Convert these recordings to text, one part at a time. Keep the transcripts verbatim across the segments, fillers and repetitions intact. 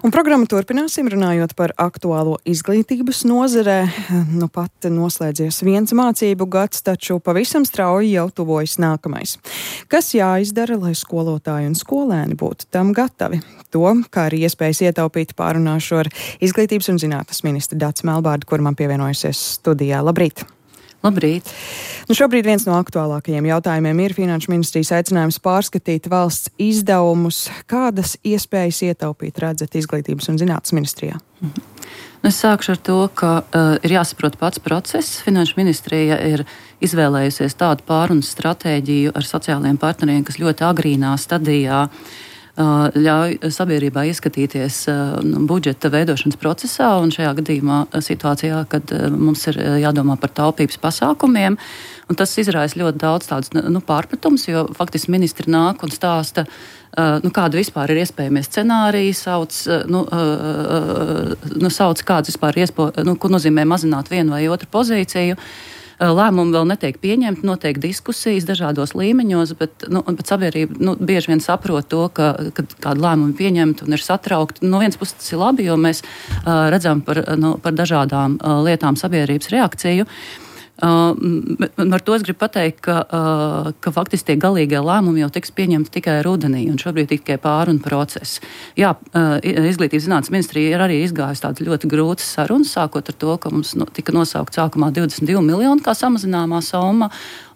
Un programmu turpināsim runājot par aktuālo izglītības nozarē. Nu pat noslēdzies viens mācību gads, taču pavisam strauji jau tuvojas nākamais. Kas jāizdara, lai skolotāji un skolēni būtu tam gatavi? To, kā arī iespējas ietaupīt, pārunāšu ar izglītības un zinātnes ministru Daci Melbārdi, kur man pievienojusies studijā. Labrīt! Labrīt! Nu šobrīd viens no aktuālākajiem jautājumiem ir Finanšu ministrijas aicinājums pārskatīt valsts izdevumus. Kādas iespējas ietaupīt redzat izglītības un zinātnes ministrijā? Mhm. Es sākšu ar to, ka uh, ir jāsaprot pats process. Finanšu ministrija ir izvēlējusies tādu pārunas stratēģiju ar sociālajiem partneriem, kas ļoti agrīnā stadijā ļauj sabiedrībā ieskatīties budžeta veidošanas procesā un šajā gadījumā situācijā, kad mums ir jādomā par taupības pasākumiem. Un tas izraisa ļoti daudz tādus nu, pārpratums, jo faktiski ministri nāk un stāsta, nu, kāda vispār ir iespējamie scenāriji, sauc, nu, nu, sauc kāds vispār ir iespo, nu, ko nozīmē mazināt vienu vai otru pozīciju. Lēmumi vēl netiek pieņemti, notiek diskusijas dažādos līmeņos, bet, nu, bet sabiedrība nu, bieži vien saprot to, ka, kad kādu lēmumu pieņemt un ir satraukti. No vienas puses tas ir labi, jo mēs uh, redzam par, nu, par dažādām uh, lietām sabiedrības reakciju. Uh, ar to es gribu pateikt, ka, uh, ka faktiski tie galīgie lēmumi jau tiks pieņemti tikai rudenī, un šobrīd tikai pārunu process. Jā, uh, izglītības zinātnes ministrija ir arī izgājusi tādas ļoti grūtas sarunas, sākot ar to, ka mums no, tika nosaukt sākumā divdesmit divi miljoni kā samazināmā summa,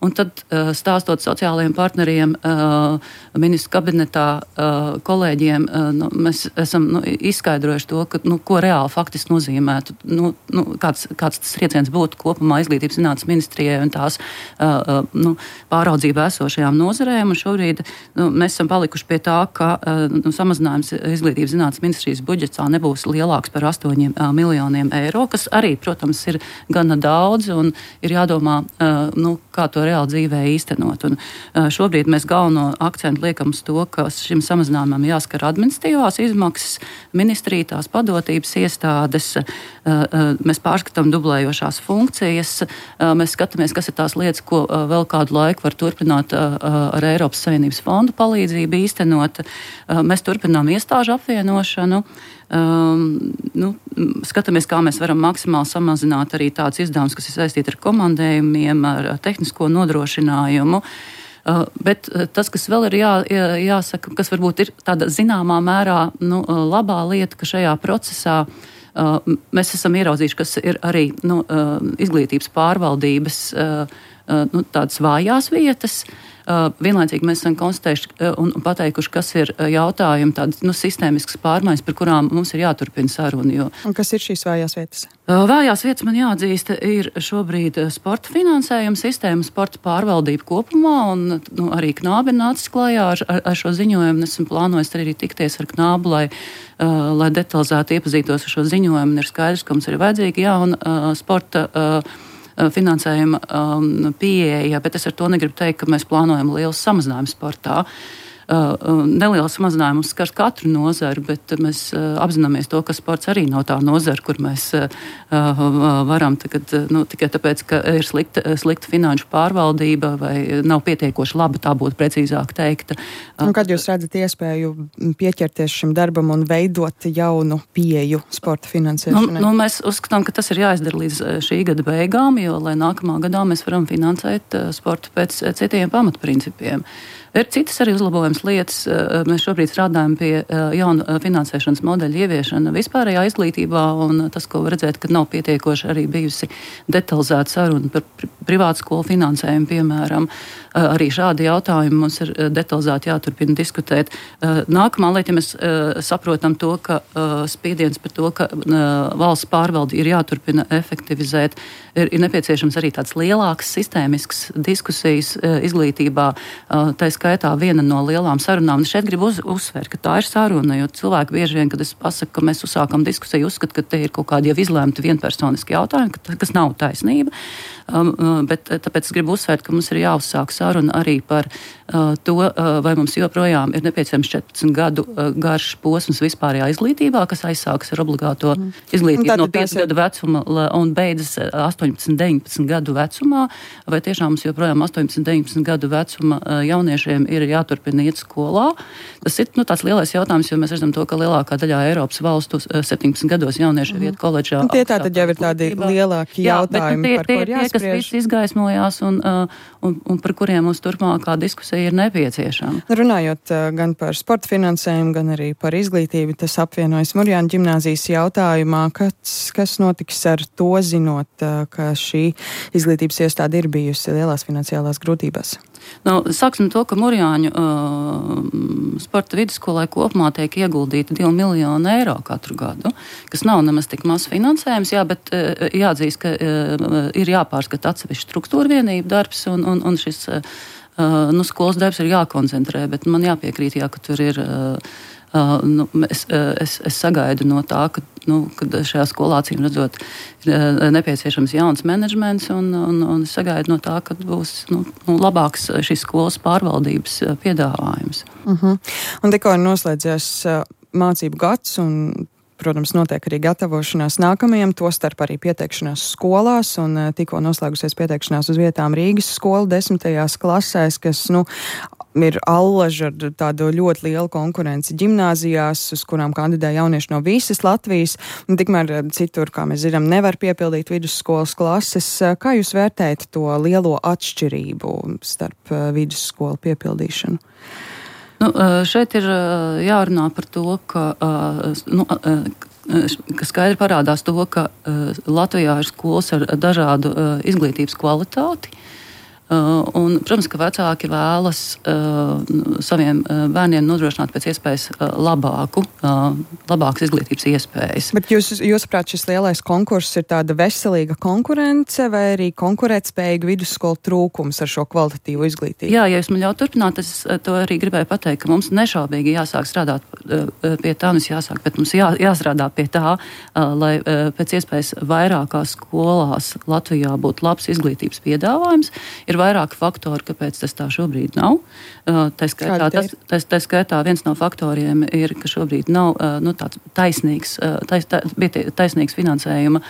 un tad uh, stāstot sociālajiem partneriem, uh, ministru kabinetā uh, kolēģiem, uh, nu, mēs esam nu, izskaidrojuši to, ka, nu, ko reāli faktiski nozīmētu, nu, nu, kāds, kāds tas trieciens būtu kopumā izglītības zinātnes ministrijai un tās uh, nu, pāraudzībā esošajām nozarēm. Un šobrīd nu, mēs esam palikuši pie tā, ka uh, nu, samazinājums izglītības zinātnes ministrijas budžetā nebūs lielāks par astoņiem uh, miljoniem eiro, kas arī, protams, ir gana daudz un ir jādomā, uh, nu, kā to reāli dzīvē īstenot. Un, uh, šobrīd mēs galveno akcentu liekam uz to, ka šim samazinājumam jāskar administratīvās izmaksas, ministrija, tās padotības iestādes, uh, uh, mēs pārskatām dublējošās funkcijas, uh, mēs skatāmies, kas ir tās lietas, ko uh, vēl kādu laiku var turpināt uh, ar Eiropas Savienības fondu palīdzību īstenot. Uh, mēs turpinām iestāžu apvienošanu. Um, nu, skatāmies, kā mēs varam maksimāli samazināt arī tāds izdevums, kas ir saistīti ar komandējumiem, ar tehnisko nodrošinājumu. Uh, bet tas, kas vēl ir jā, jā, jāsaka, kas varbūt ir tāda zināmā mērā nu, labā lieta, ka šajā procesā uh, mēs esam ieraudzījuši, kas ir arī nu, uh, izglītības pārvaldības uh, uh, nu, tādas vājās vietas. Uh, vienlaicīgi mēs esam konstatējuši uh, un pateikuši, kas ir uh, jautājumi, tādas nu, sistēmiskas pārmaiņas, par kurām mums ir jāturpina saruna. Jo, un kas ir šīs vājās vietas? Uh, vājās vietas man jāatzīst ir šobrīd sporta finansējuma sistēma, sporta pārvaldība kopumā, un nu, arī Knābi ir nācis klajā ar, ar, ar šo ziņojumu. Esmu plānojis arī tikties ar Knābu, lai, uh, lai detalizēti iepazītos ar šo ziņojumu. Ir skaidrs, ka mums ir vajadzīga jauna uh, sporta uh, finansējuma um, pieeja, bet es ar to negribu teikt, ka mēs plānojam liels samazinājums sportā. Uh, neliels samazinājums skars katru nozaru, bet mēs uh, apzināmies to, ka sports arī nav tā nozara, kur mēs uh, uh, varam tagad, uh, nu, tikai tāpēc, ka ir slikta, slikta finanšu pārvaldība vai nav pietiekoši laba, tā būtu precīzāk teikta. Uh, un kad jūs redzat iespēju pieķerties šim darbam un veidot jaunu pieeju sporta finansēšanai? Nu, nu, mēs uzskatām, ka tas ir jāizdara līdz šī gada beigām, jo, lai nākamā gadā mēs varam finansēt uh, sportu pēc uh, citiem pamatprincipiem. Ir citas arī uzlabojums lietas. Mēs šobrīd strādājam pie jauna finansēšanas modeļa ieviešana vispārējā izglītībā, un tas, ko var redzēt, ka nav pietiekoši arī bijusi detalizēta saruna par privātu skolu finansējumu, piemēram. Arī šādi jautājumi mums ir detalizēti jāturpina diskutēt. Nākamā lieta, ja mēs saprotam to, ka spiediens par to, ka valsts pārvaldi ir jāturpina efektivizēt, ir, ir nepieciešams arī tāds lielāks sistēmisks diskusijas izglītībā. Tā skaitā viena no lielām sarunām. Un šeit gribu uz, uzsvērt, ka tā ir saruna, jo cilvēki bieži vien, kad es pasaku, ka mēs uzsākam diskusiju, uzskata, ka te ir kaut kādi jau izlēmti vienpersoniski jautājumi, ka, kas nav taisnība. Bet tāpēc es gribu uzsvērt, ka mums ir jāuzsāk saruna arī par to, vai mums joprojām ir nepieciešams četrpadsmit gadu garš posms vispārējā izglītībā, kas aizsākas ar obligāto mm. izglītību no piecu gadu vecuma un beidzas astoņpadsmit, deviņpadsmit gadu vecumā, vai tiešām mums joprojām astoņpadsmit, deviņpadsmit gadu vecuma jauniešiem ir jāturpina iet skolā. Tas ir nu, tāds lielais jautājums, jo mēs redzam to, ka lielākā daļā Eiropas valstu septiņpadsmit gados jaunieši mm. iet koledžā. Un tie tātad jau ir tādi lielāki jautājumi, jā, par ko ir jāspriež. Tie, kas viss izgaismojās un, un, un par kuriem mums turpmākā diskusija ir nepieciešama. Runājot gan par sporta finansējumu, gan arī par izglītību, tas apvienojas Murjāņu ģimnāzijas jautājumā, kas, kas notiks ar to, zinot, ka šī izglītības iestāde ir bijusi lielās finansiālās grūtībās. Nu, sāksim to, ka Murjāņu uh, sporta vidusskolai kopumā tiek ieguldīti divi miljoni eiro katru gadu, kas nav nemaz tik maz finansējums, jā, bet uh, jāatzīst, ka uh, ir jāpārskata atsevišķi struktūra vienību darbs un, un, un šis uh, nu, skolas darbs ir jākoncentrē, bet man jāpiekrīt, jā, ka tur ir uh, Uh, nu, es, es, es sagaidu no tā, ka, nu, ka šajā skolā acīm redzot ir nepieciešams jauns menedžments un, un, un es sagaidu no tā, ka būs nu, nu, labāks šīs skolas pārvaldības piedāvājums. Uh-huh. Un tikko ir noslēdzies uh, mācību gads un protams, notiek arī gatavošanās nākamajam, tostarp arī pieteikšanās skolās, un tikko noslēgusies pieteikšanās uz vietām Rīgas skola desmitajās klasēs, kas, nu, ir allaža ar tādu ļoti lielu konkurenci ģimnāzijās, uz kurām kandidē jaunieši no visas Latvijas, un tikmēr citur, kā mēs zinām, nevar piepildīt vidusskolas klases. Kā jūs vērtējat to lielo atšķirību starp vidusskolu piepildīšanu? Nu, šeit ir jārunā par to, ka, nu, ka skaidri parādās to, ka Latvijā ir skolas ar dažādu izglītības kvalitāti. Un, protams, ka vecāki vēlas uh, saviem uh, bērniem nodrošināt pēc iespējas uh, labāku, uh, labākas izglītības iespējas. Bet jūs, jūsuprāt, šis lielais konkurss ir tāda veselīga konkurence vai arī konkurētspējīga vidusskola trūkums ar šo kvalitatīvu izglītību? Jā, ja jūs man ļautu turpināt, es to arī gribēju pateikt, ka mums nešaubīgi jāsāk strādāt uh, pie tā, mums jāsāk, bet mums jā, jāstrādā pie tā, uh, lai uh, pēc iespējas vairākās skolās Latvijā būtu labs izglītības piedāvājums. Ir vairāki faktori, kāpēc tas tā šobrīd nav. Tā skaitā, tas, tas, tā skaitā viens no faktoriem ir, ka šobrīd nav nu, tāds taisnīgs, tais, taisnīgs finansējuma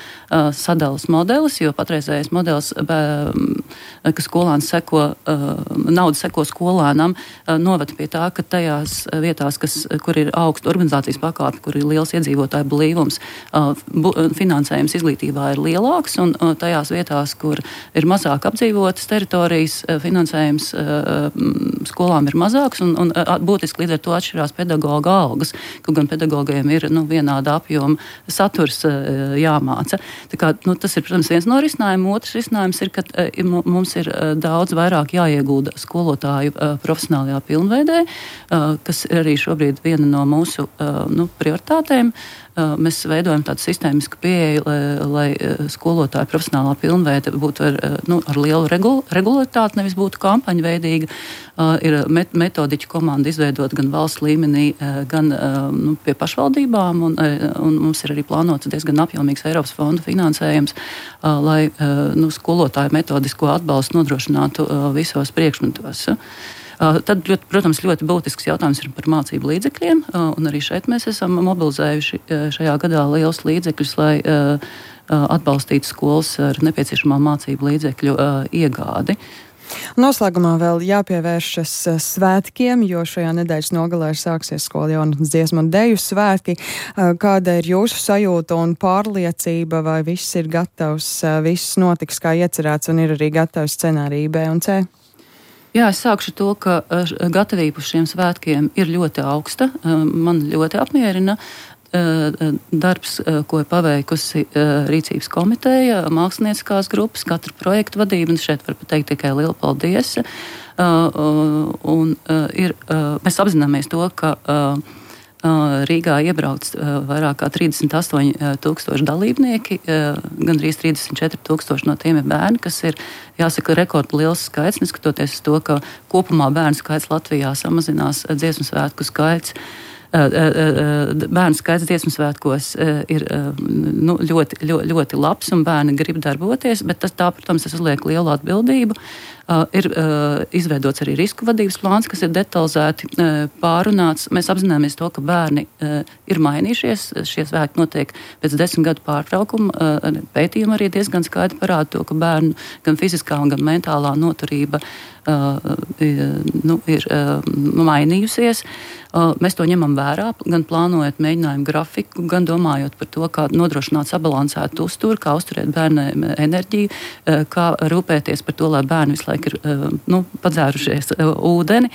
sadalas modelis, jo patreizējais modelis, ka skolāns seko, nauda seko skolānam, novada pie tā, ka tajās vietās, kas, kur ir augsta organizācijas pakāpe, kur ir liels iedzīvotāju blīvums, finansējums izglītībā ir lielāks, un tajās vietās, kur ir mazāk apdzīvotas teritorijas, finansējums skolām ir mazāks un, un būtiski līdz ar to atšķirās pedagoga algas, kaut gan pedagogiem ir nu, vienāda apjoma saturs jāmāca. Tā kā, nu, tas ir, protams, viens no risinājumiem. Otrs risinājums ir, ka mums ir daudz vairāk jāiegulda skolotāju profesionālajā pilnveidē, kas ir arī šobrīd viena no mūsu nu, prioritātēm. Mēs veidojam tādu sistēmisku pieeju, lai, lai skolotāju profesionālā pilnveide būtu ar, nu, ar lielu regul, regularitāti, nevis būtu kampaņveidīga. Ir met, metodiķu komanda izveidot gan valsts līmenī, gan nu, pie pašvaldībām, un, un mums ir arī plānots diezgan apjomīgs Eiropas fondu finansējums, lai nu, skolotāju metodisko atbalstu nodrošinātu visos priekšmetos. Tad, ļoti, protams, ļoti būtisks jautājums ir par mācību līdzekļiem, un arī šeit mēs esam mobilizējuši šajā gadā liels līdzekļus, lai atbalstītu skolas ar nepieciešamā mācību līdzekļu iegādi. Noslēgumā vēl jāpievēršas svētkiem, jo šajā nedēļas nogalē sāksies skola jaunatnes dziesmu un deju svētki. Kāda ir jūsu sajūta un pārliecība, vai viss ir gatavs, viss notiks kā iecerēts un ir arī gatavs scenārija B un C? Jā, es sākšu to, ka gatavība uz šiem svētkiem ir ļoti augsta. Man ļoti apmierina darbs, ko ir paveikusi Rīcības komiteja, mākslinieckās grupas, katra projektu vadība, un šeit var pateikt tikai lielu paldies. Un ir, mēs apzināmies to, ka Rīgā iebrauc vairāk kā trīsdesmit astoņi tūkstoši dalībnieki, gandrīz trīsdesmit četri tūkstoši no tiem ir bērni, kas ir, jāsaka, rekordliels skaits, neskatoties uz to, ka kopumā bērnu skaits Latvijā samazinās, dziesmu svētku skaits bērnu skaits dziesmu svētkos ir nu, ļoti, ļoti, ļoti labs un bērni grib darboties, bet tas tā, protams, tas uzliek lielu atbildību. Uh, ir uh, izveidots arī risku vadības plāns, kas ir detalizēti uh, pārunāts. Mēs apzināmies to, ka bērni uh, ir mainījušies. Šie svētki notiek pēc desmit gadu pārtraukuma. Uh, pētījumi arī diezgan skaidri parāda to, ka bērnu gan fiziskā, gan mentālā noturība uh, nu, ir uh, mainījusies. Uh, mēs to ņemam vērā, gan plānojot mēģinājumu grafiku, gan domājot par to, kā nodrošināt sabalansētu uzturu, kā uzturēt bērniem enerģiju, uh, kā rūpēties par to, lai bērni visu laiku ir nu, padzērušies ūdeni.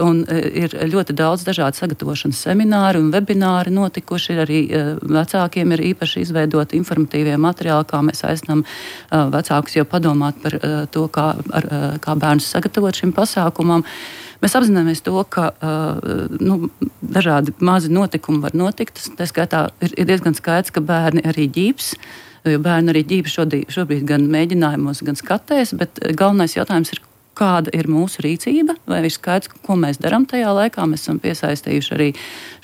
Un ir ļoti daudz dažādu sagatavošanas semināru un webināri notikuši. Arī vecākiem ir īpaši izveidoti informatīvie materiāli, kā mēs aicinām vecākus jau padomāt par to, kā, ar, kā bērnus sagatavot šim pasākumam. Mēs apzināmies to, ka nu, dažādi mazi notikumi var notikt. Tā skaitā ir, ir diezgan skaidrs, ka bērni arī ģības. Jo bērni arī ģība šodien, šobrīd gan mēģinājumos, gan skatēs, bet galvenais jautājums ir, kāda ir mūsu rīcība, vai ir skaidrs, ko mēs darām tajā laikā. Mēs esam piesaistījuši arī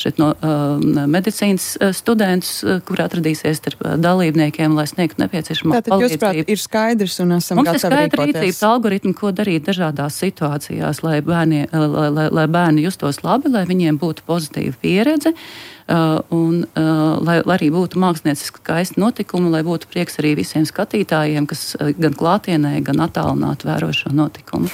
šeit no uh, medicīnas studentus, kur atradīsies starp dalībniekiem, lai sniegtu nepieciešamo palīdzību. Tātad, jūs prāt, ir skaidrs un esam Mums gatavi rīkoties. Mums ir skaidri rīcības algoritmi, ko darīt dažādās situācijās, lai bērni, lai, lai, lai bērni justos labi, lai viņiem būtu pozitīva pieredze. Uh, un uh, lai, lai arī būtu mākslinieciski skaisti notikumi, lai būtu prieks arī visiem skatītājiem, kas uh, gan klātienē, gan attālināti vēro šo notikumu.